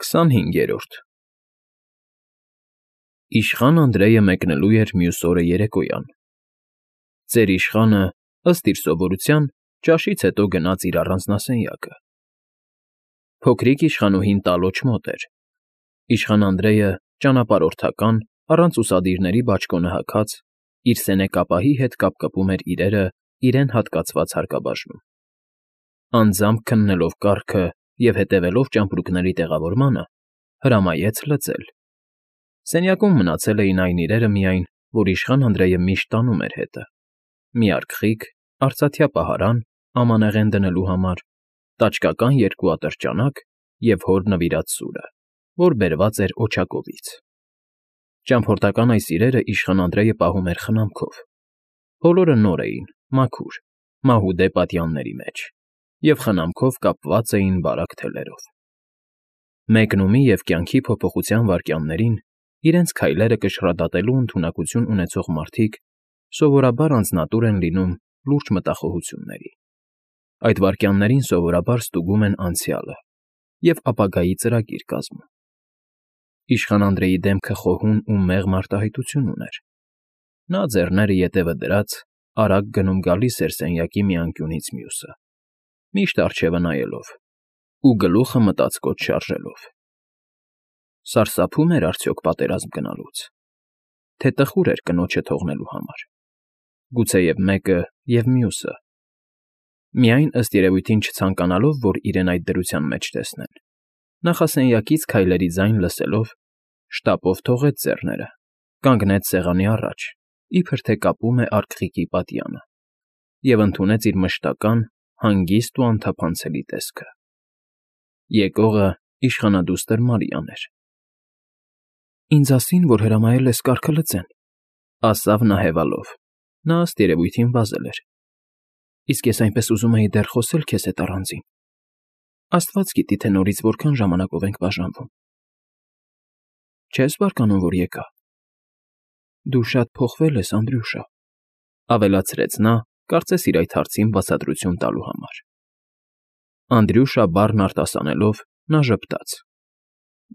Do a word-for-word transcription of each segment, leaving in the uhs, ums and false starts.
քսանհինգերորդ Իշխան Անդրեյը մեկնելու էր մյուս օրը երեկոյան։ Ծեր իշխանը, ըստ իր սովորության, ճաշից հետո գնաց իր առանձնասենյակը։ Փոքրիկ իշխանուհին տալոջ մոտ էր։ Իշխան Անդրեյը ճանապարհորդական, առանց ուսադիրների բաճկոնը հագած, իր սենյակապահի հետ կապկպում էր իրերը իրեն հատկացված հարկաբաժնում։ Անձամբ քննելով կառքը և հետևելով ճամպրուկների տեղավորմանը, հրամայեց լծել։ Սենյակում մնացել էին այն իրերը միայն, որ իշխան Անդրեյը միշտ տանում էր հետը. մի արգղիկ, արծաթյա պահարան ամանեղեն դնելու համար, տաճկական երկու ատրճանակ և հոր նվիրած սուրը, որ բերված էր օջակովից։ Ճամփորդական այս իրերը իշխան Անդրեյը պահում էր խնամքով։ Բոլորը նոր էին, մաքուր, մահուդե պատյանների մեջ և խնամքով կապված էին բարակ թելերով։ Մեկնումի և կյանքի փոփոխության վայրկյաններին իրենց քայլերը կշռադատելու ընդունակություն ունեցող մարդիկ սովորաբար անձնատուր են լինում լուրջ մտախոհությունների։ Այդ վայրկյաններին սովորաբար ստուգում են անցյալը և ապագայի ծրագիր կազմում։ Իշխան Անդրեյի դեմքը խոհուն ու մեղմ արտահայտություն ուներ։ Նա, ձեռները ետևը դրած, արագ գնում֊գալիս էր սենյակի մի անկյունից մյուսը, միշտ առջևը նայելով ու գլուխը մտածկոտ շարժելով. սարսափո՞ւմ էր արդյոք պատերազմ գնալուց, թե տխուր էր կնոջը թողնելու համար, գուցեև մեկը և մյուսը, միայն, ըստ երևույթին չցանկանալով, որ իրեն այդ դրության մեջ տեսնեն, նախասենյակից քայլերի ձայն լսելով, շտապով թողեց ձեռները, կանգնեց սեղանի առաջ, իբր թե կապում է արգղիկի պատյանը, և ընդունեց իր մշտական, հանգիստ ու անթափանցելի տեսքը։ Եկողը իշխանադուստր Մարիան էր։ «Ինձ ասին, որ հրամայել ես կառքը լծեն,֊ ասավ նա հևալով. նա, ըստ երևույթին, վազել էր,֊ իսկ ես այնպես ուզում էի դեռ խոսել քեզ հետ առանձին… Աստված գիտի, թե նորից որքան ժամանակով ենք բաժանվում… Չե՞ս բարկանում, որ եկա… Դու շատ փոխվել ես, Անդրյուշա,֊ ավելացրեց նա, կարծես իր այդ հարցին բացատրություն տալու համար։ Անդրյուշա բառն արտասանելով՝ նա ժպտաց.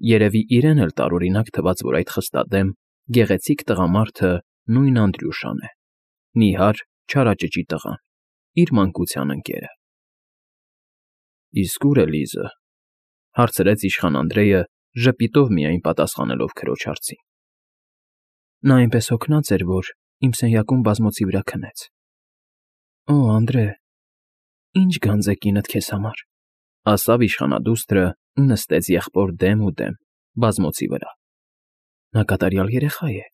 երևի իրեն էլ տարօրինակ թվաց, որ այդ խստադեմ, գեղեցիկ տղամարդը նույն Անդրյուշան է, նիհար, չարաճճի տղան, իր մանկության ընկերը։ «Իսկ ո՞ւր է Լիզը,֊ հարցրեց իշխան Անդրեյը, ժպիտով միայն պատասխանելով քրոջ հարցին։ Նա այնպես հոգնած էր, որ իմ սենյակում բազմոցի վրա քնեց։ Օ, Անդրե, ի՜նչ գանձ է կինդ քեզ համար,֊ ասավ իշխանադուստրը ու նստեց եղբոր դեմ ու դեմ, բազմոցի վրա։ Նա կատարյալ երեխա է,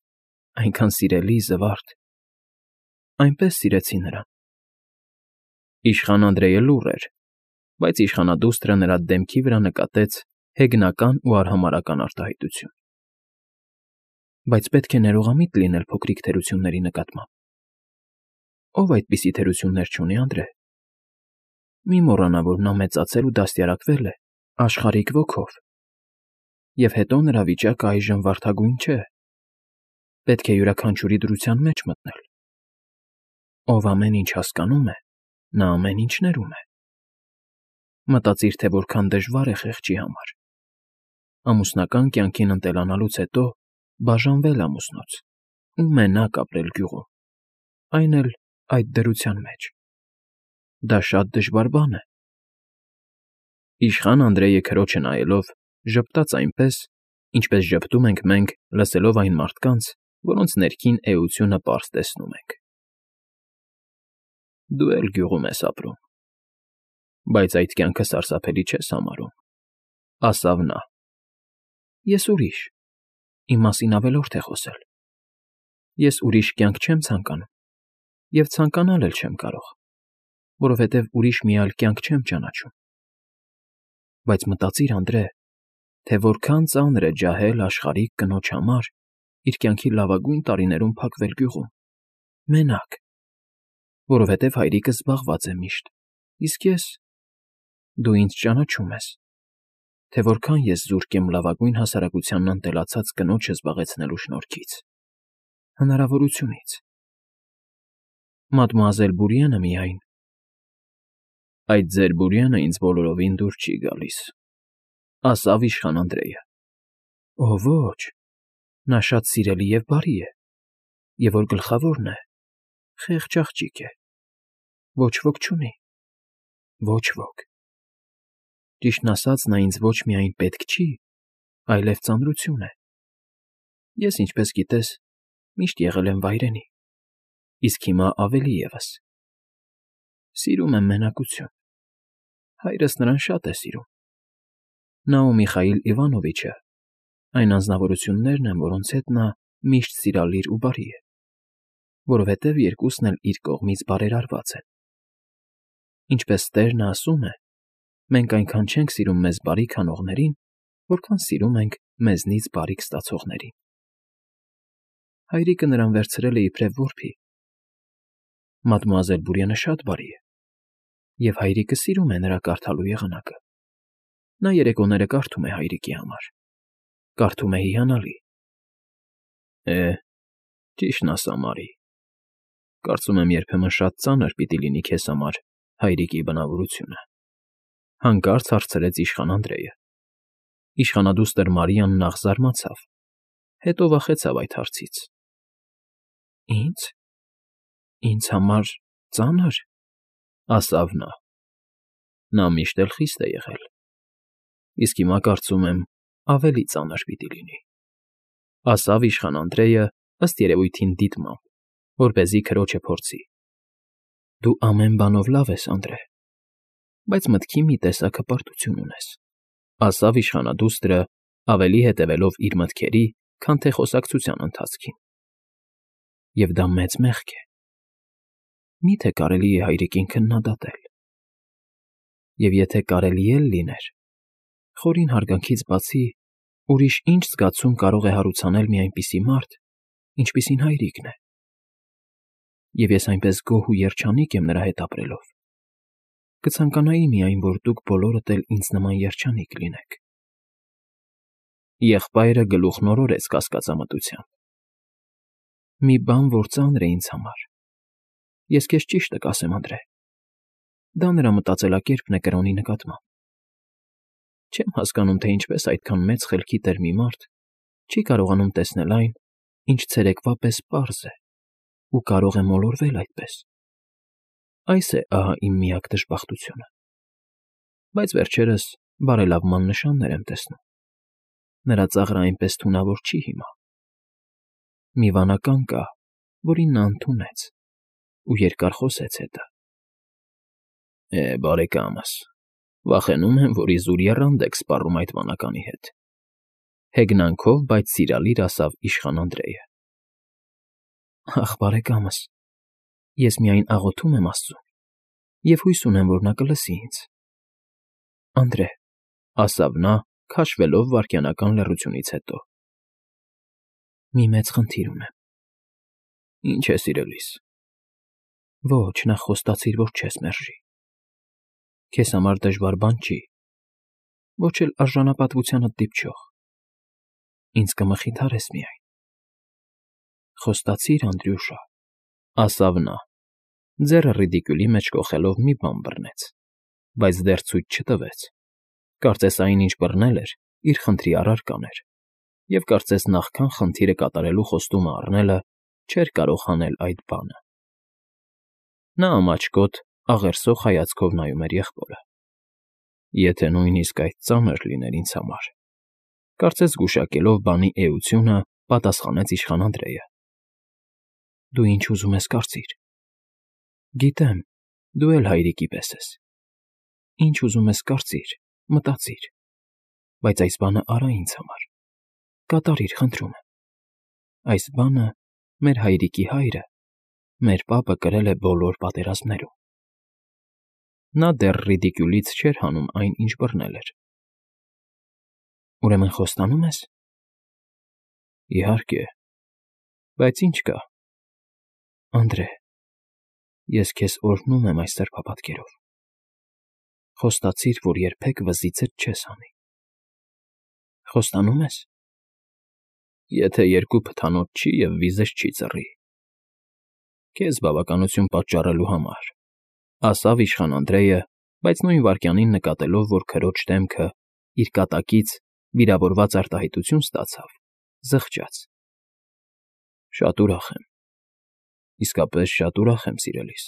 այնքան սիրելի, զվարթ… Այնպես սիրեցի նրան… Իշխան Անդրեյը լուռ էր, բայց իշխանադուստրը նրա դեմքի վրա նկատեց հեգնական ու արհամարհական արտահայտություն։ Բայց պետք է ներողամիտ լինել փոքրիկ թերությունների նկատմամբ… Ո՞վ այդպիսի թերություններ չունի, Անդրե… Մի մոռանա, որ նա մեծացել ու դաստիարակվել է աշխարհիկ ոգով, և հետո նրա վիճակը այժմ վարդագույն չէ… Պետք է յուրաքանչյուրի դրության մեջ մտնել… Ով ամեն ինչ հասկանում է, նա ամեն ինչ ներում է… Մտածիր, թե որքան դժվար է խեղճի համար… Ամուսնական կյանքին ընտելանալուց հետո բաժանվել ամուսնուց ու մենակ ապրել գյուղում, այն էլ այդ դրության մեջ… Դա շատ դժվար բան է… Իշխան Անդրեյը քրոջը նայելով ժպտաց այնպես, ինչպես ժպտում ենք մենք, լսելով այն մարդկանց, որոնց ներքին էությունը պարզ տեսնում ենք։ Դու էլ գյուղում ես ապրում, բայց այդ կյանքը սարսափելի չես համարում,֊ ասավ նա։ Ես ուրիշ, իմ մասին ավելորդ է խոսել… Ես ուրիշ կյանք չեմ ցանկանում և ցանկանալ էլ չեմ կարող, որովհետև ուրիշ մի այլ կյանք չեմ ճանաչում… Բայց մտածիր, Անդրե, թե որքան ծանր է ջահել աշխարհիկ կնոջ համար իր կյանքի լավագույն տարիներում փակվել գյուղում, մենակ, որովհետև հայրիկը զբաղված է միշտ, իսկ ես… Դու ինձ ճանաչում ես, թե որքան ես զուրկ եմ լավագույն հասարակությանն ընտելացած կնոջը զբաղեցնելու շնորհքից, հնարավորությունից… Մադմուազել Բուրիենը միայն… Այդ ձեր Բուրիենը ինձ բոլորովին դուր չի գալիս… ասավ իշխան Անդրեյը։ Օ ոչ, նա շատ սիրելի և բարի է, և որ գլխավորն է, խեղճ աղջիկ է, ոչ ոք չունի, ոչ ոք։ Ճիշտն ասած, նա ինձ ոչ միայն պետք չի, այլև ծանրություն է։ Ես, ինչպես գիտես, միշտ եղել եմ վայրենի, իսկ հիմա ավելի ևս։ Սիրում եմ մենակություն, հայրս նրան շատ է սիրում։ Նա ու Միխայիլ Իվանովիչը այն անձնավորություններն են, որոնց հետ նա միշտ սիրալիր ու բարի է, որովհետև երկուսն էլ իր կողմից բարերարված են։ Ինչպես տերն ասում է, մենք այնքան չենք սիրում մեզ բարիք անողներին, որքան սիրում ենք մեզնից բարիք ստացողներին։ Հայրիկը նրան վերցրել է իբրև որբի։ Մադմուազել Բուրյանը շատ բարի է, և հայրիկը սիրում է նրա կարդալու եղանակը։ Նա երեկոները կարդում է հայրիկի համար, կարդում է հիանալի։ Է, ճիշտն ասա, Մարի, կարծում եմ երբեմն շատ ծանր պիտի լինի քեզ համար հայրիկի բնավորությունը, հանկարծ հարցրեց իշխան Անդրեյը։ Իշխանադուստր Մարիան նախ զարմացավ, հետո վախեցավ այդ հարցից։ Ինձ, ինձ համար ծա՞նր, ասավ նա։ Նա միշտ էլ խիստ է եղել, իսկ հիմա կարծում եմ ավելի ծանր պիտի լինի, ասավ իշխան Անդրեյը ըստ երևույթին դիտմամբ, որպեսզի քրոջը փորձի։ Դու ամեն բանով լավ ես, Անդրե, բայց մտքի մի տեսակ հպարտություն ունես, ասավ իշխանադուստրը, ավելի հետևելով իր մտքերի, քան թե խոսակցության ընթացքին։ Եվ դա մեծ մեղք է։ Մի՞թե կարելի է հայրիկին քննադատել։ Եվ եթե կարելի էլ լիներ, խորին հարգանքից բացի ուրիշ ինչ զգացում կարող է հարուցանել մի այնպիսի մարդ, ինչպիսին հայրիկն է։ Եվ ես այնպես գոհ ու երջանիկ եմ նրա հետ ապրելով, կցանկանայի միայն, որ դուք բոլորդ էլ ինձ նման երջանիկ լինեք։ Եղբայրը գլուխն օրորեց կասկածամտությամբ։ Մի բան, որ ծանր է ինձ համար, ես քեզ ճիշտը կասեմ, Անդրե, դա նրա մտածելակերպն է կրոնի նկատմամբ։ Չեմ հասկանում, թե ինչպես այդքան մեծ խելքի տեր մի մարդ չի կարողանում տեսնել այն, ինչ ցերեկվա պես պարզ է, ու կարող է մոլորվել այդպես։ Այս է ահա իմ միակ դժբախտությունը։ Բայց վերջերս բարելավման նշաններ եմ տեսնում։ Նրա ծաղրը այնպես թունավոր չի հիմա։ Մի վանական կա, որին նա ընդունեց, ու երկար խոսեց հետը։ Է, բարեկամս, վախենում եմ, որ իզուր եռանդ եք սպառում այդ վանականի հետ, հեգնանքով, բայց սիրալիր ասավ իշխան Անդրեյը։ Ախ, բարեկամս, ես միայն աղոթում եմ Աստծուն և հույս ունեմ, որ նա կլսի ինձ։ Անդրե, ասավ նա, քաշվելով վայրկենական լռությունից հետո։ Մի մեծ խնդիր ունեմ։ Ինչ է, սիրելիս։ Ոչ, նախ խոստացիր, որ չես մերժի։ Քեզ համար դժվար բան չի, ոչ էլ արժանապատվությանդ դիպչող։ Ինձ կմխիթարես միայն։ Խոստացիր, Անդրյուշա, ասավ նա, ձեռը ռիդիկյուլի մեջ կոխելով մի բան բռնեց, բայց դեռ ցույց չտվեց։ Կարծես այն, ինչ բռնել էր, իր խնդրի առարական էր, և կարծես նախքան խնդիրը կատարելու խոստումը առնելը չէր կարող հանել այդ բանը։ Նա ամաչկոտ, աղերսող հայացքով նայում էր եղբորը։ Եթե նույնիսկ այդ ծանր լիներ ինձ համար, կարծես գուշակելով բանի էությունը, պատասխանեց իշխան Անդրեյը։ Դու ինչ ուզում ես կարծիր։ Գիտեմ, դու էլ հայրիկի պես ես։ Ինչ ուզում ես կարծիր, մտածիր, բայց այս բանը արա ինձ համար, կատարիր, խնդրում եմ։ Այս բանը մեր հայրիկի հայրը, մեր պապը կրել է բոլոր պատերազմներում։ Նա դեռ ռիդիկյուլից չէր հանում այն, ինչ բռնել էր։ Ուրեմն խոստանում ես։ Իհարկե, բայց ինչ կա։ Անդրե, ես քեզ օրհնում եմ այս սրբապատկերով։ Խոստացիր, որ երբեք վզիցդ չես հանի։ Խոստանում ես։ Եթե երկու փթանոց չի և վիզս չի ծռի։ Քեզ բավականություն պատճառելու համար, ասավ իշխան Անդրեյը, բայց նույն վայրկյանին նկատելով, որ քրոջ դեմքը իր կատակից վիրավորված արտահայտություն ստացավ, զղջաց։ ֊ Շատ ուրախ եմ, իսկապես շատ ուրախ եմ, սիրելիս,֊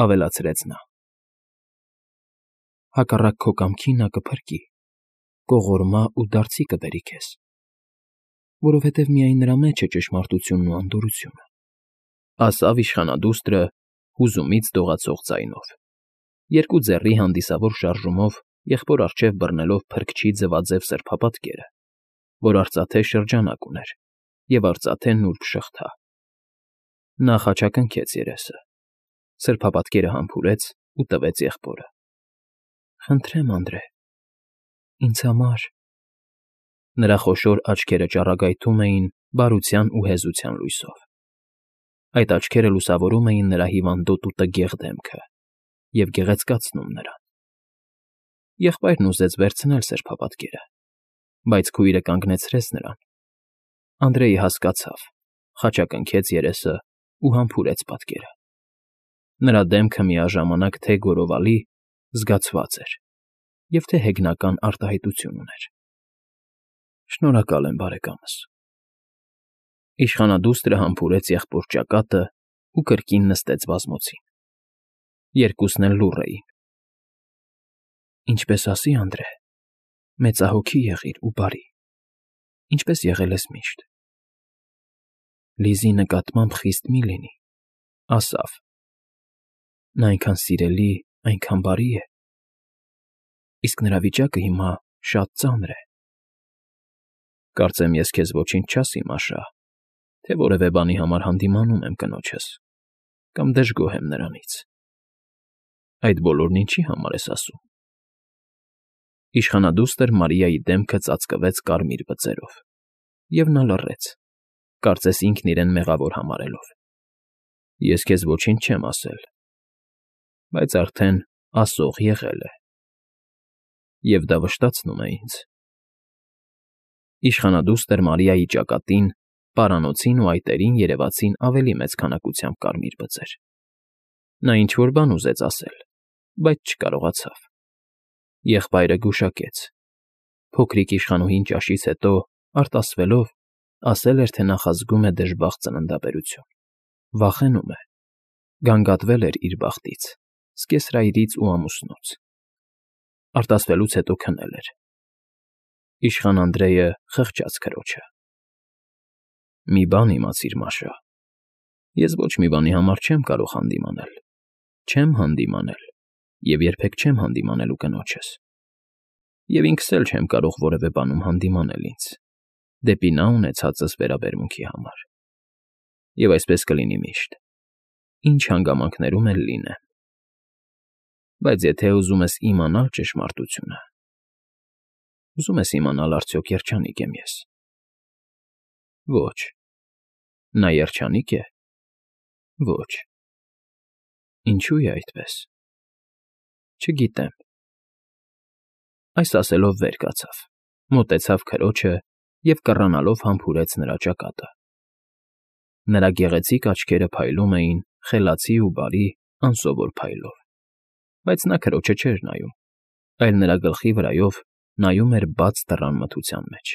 ավելացրեց նա։ ֊ Հակառակ քո կամքի նա կփրկի, կողորմա ու դարձի կբերի քեզ, որովհետև միայն նրա մեջ է ճշմարտությունն ու անդորրությունը,֊ ասավ իշխանադուստրը հուզումից դողացող ձայնով, երկու ձեռի հանդիսավոր շարժումով եղբոր առջև բռնելով փրկչի ձվաձև սրբապատկերը, որ արծաթե շրջանակ ուներ, և արծաթե նուրբ շղթա։ Նա խաչակնքեց երեսը, սրբապատկերը համբուրեց ու տվեց եղբորը։ ֊ Խնդրեմ, Անդրե, ինձ համար… Նրա խոշոր աչքերը ճառագայթում էին բարության ու հեզության լույսով. այդ աչքերը լուսավորում էին նրա հիվանդոտ ու տգեղ դեմքը և գեղեցկացնում նրան։ Եղբայրն ուզեց վերցնել սրբապատկերը, բայց քույրը կանգնեցրեց նրան։ Անդրեյը հասկացավ, խաչակնքեց երեսն ու համբուրեց պատկերը։ Նրա դեմքը միաժամանակ թե՛ գորովալի, զգացված էր և թե՛ հեգնական արտահայտություն ուներ։ ֊ Շնորհակալ եմ, բարեկամս։ Իշխանադուստրը համբուրեց եղբոր ճակատն ու կրկին նստեց բազմոցին։ Երկուսն էլ լուռ էին։ ֊ Ինչպես ասի, Անդրե, մեծահոգի եղիր ու բարի, ինչպես եղել ես միշտ։ Լիզի նկատմամբ խիստ մի՛ լինի, ասավ. նա այնքան սիրելի, այնքան բարի է, իսկ նրա վիճակը հիմա շատ ծանր է։ Կարծեմ ես քեզ ոչինչ չասի, Մաշա, թե որևէ բանի համար հանդիմանում եմ կնոջս կամ դժգոհ եմ նրանից։ Այդ բոլորն ինչի՞ համար ես ասում։ Իշխանադուստր Մարիայի դեմքը ծածկվեց կարմիր բծերով, և նա լռեց, կարծես ինքն իրեն մեղավոր համարելով։ Ես քեզ ոչինչ չեմ ասել, բայց արդեն ասող եղել է, և դա վշտացնում է ինձ։ Իշխանադուստր Մարիայի ճակատին, պարանոցին ու այտերին երևացին ավելի մեծ քանակությամբ կարմիր բծեր։ Նա ինչ֊որ բան ուզեց ասել, բայց չկարողացավ։ Եղբայրը գուշակեց. փոքրիկ իշխանուհին ճաշից հետո, արտասվելով, ասել էր, թե նախազգում է դժբախտ ծննդաբերություն, վախենում է, գանգատվել էր իր բախտից, սկեսրայրից ու ամուսնուց։ Արտասվելուց հետո քնել էր։ Իշխան Անդրեյը խղճաց քրոջը։ ֊ Մի բան իմացիր, Մաշա, ես ոչ մի բանի համար չեմ կարող հանդիմանել, չեմ հանդիմանել և երբեք չեմ հանդիմանելու կնոջս, և ինքս էլ չեմ կարող որևէ բանում հանդիմանել ինձ, դեպի նա ունեցածս վերաբերմունքի համար։ Եվ այսպես կլինի միշտ, ինչ հանգամանքներում էլ լինեմ։ Բայց եթե ուզում ես իմանալ ճշմարտությունը… Ուզում ես իմանալ արդյոք երջանի՞կ եմ ես։ Ոչ։ Նա երջանի՞կ է։ Ոչ։ Ինչո՞ւ է այդպես։ Չգիտեմ։ Այս ասելով վեր կացավ, մոտեցավ քրոջը և կռանալով համբուրեց նրա ճակատը։ Նրա գեղեցիկ աչքերը փայլում էին խելացի ու բարի, անսովոր փայլով, բայց նա քրոջը չէր նայում, այլ նրա գլխի վրայով նայում էր բաց դռան մթության մեջ։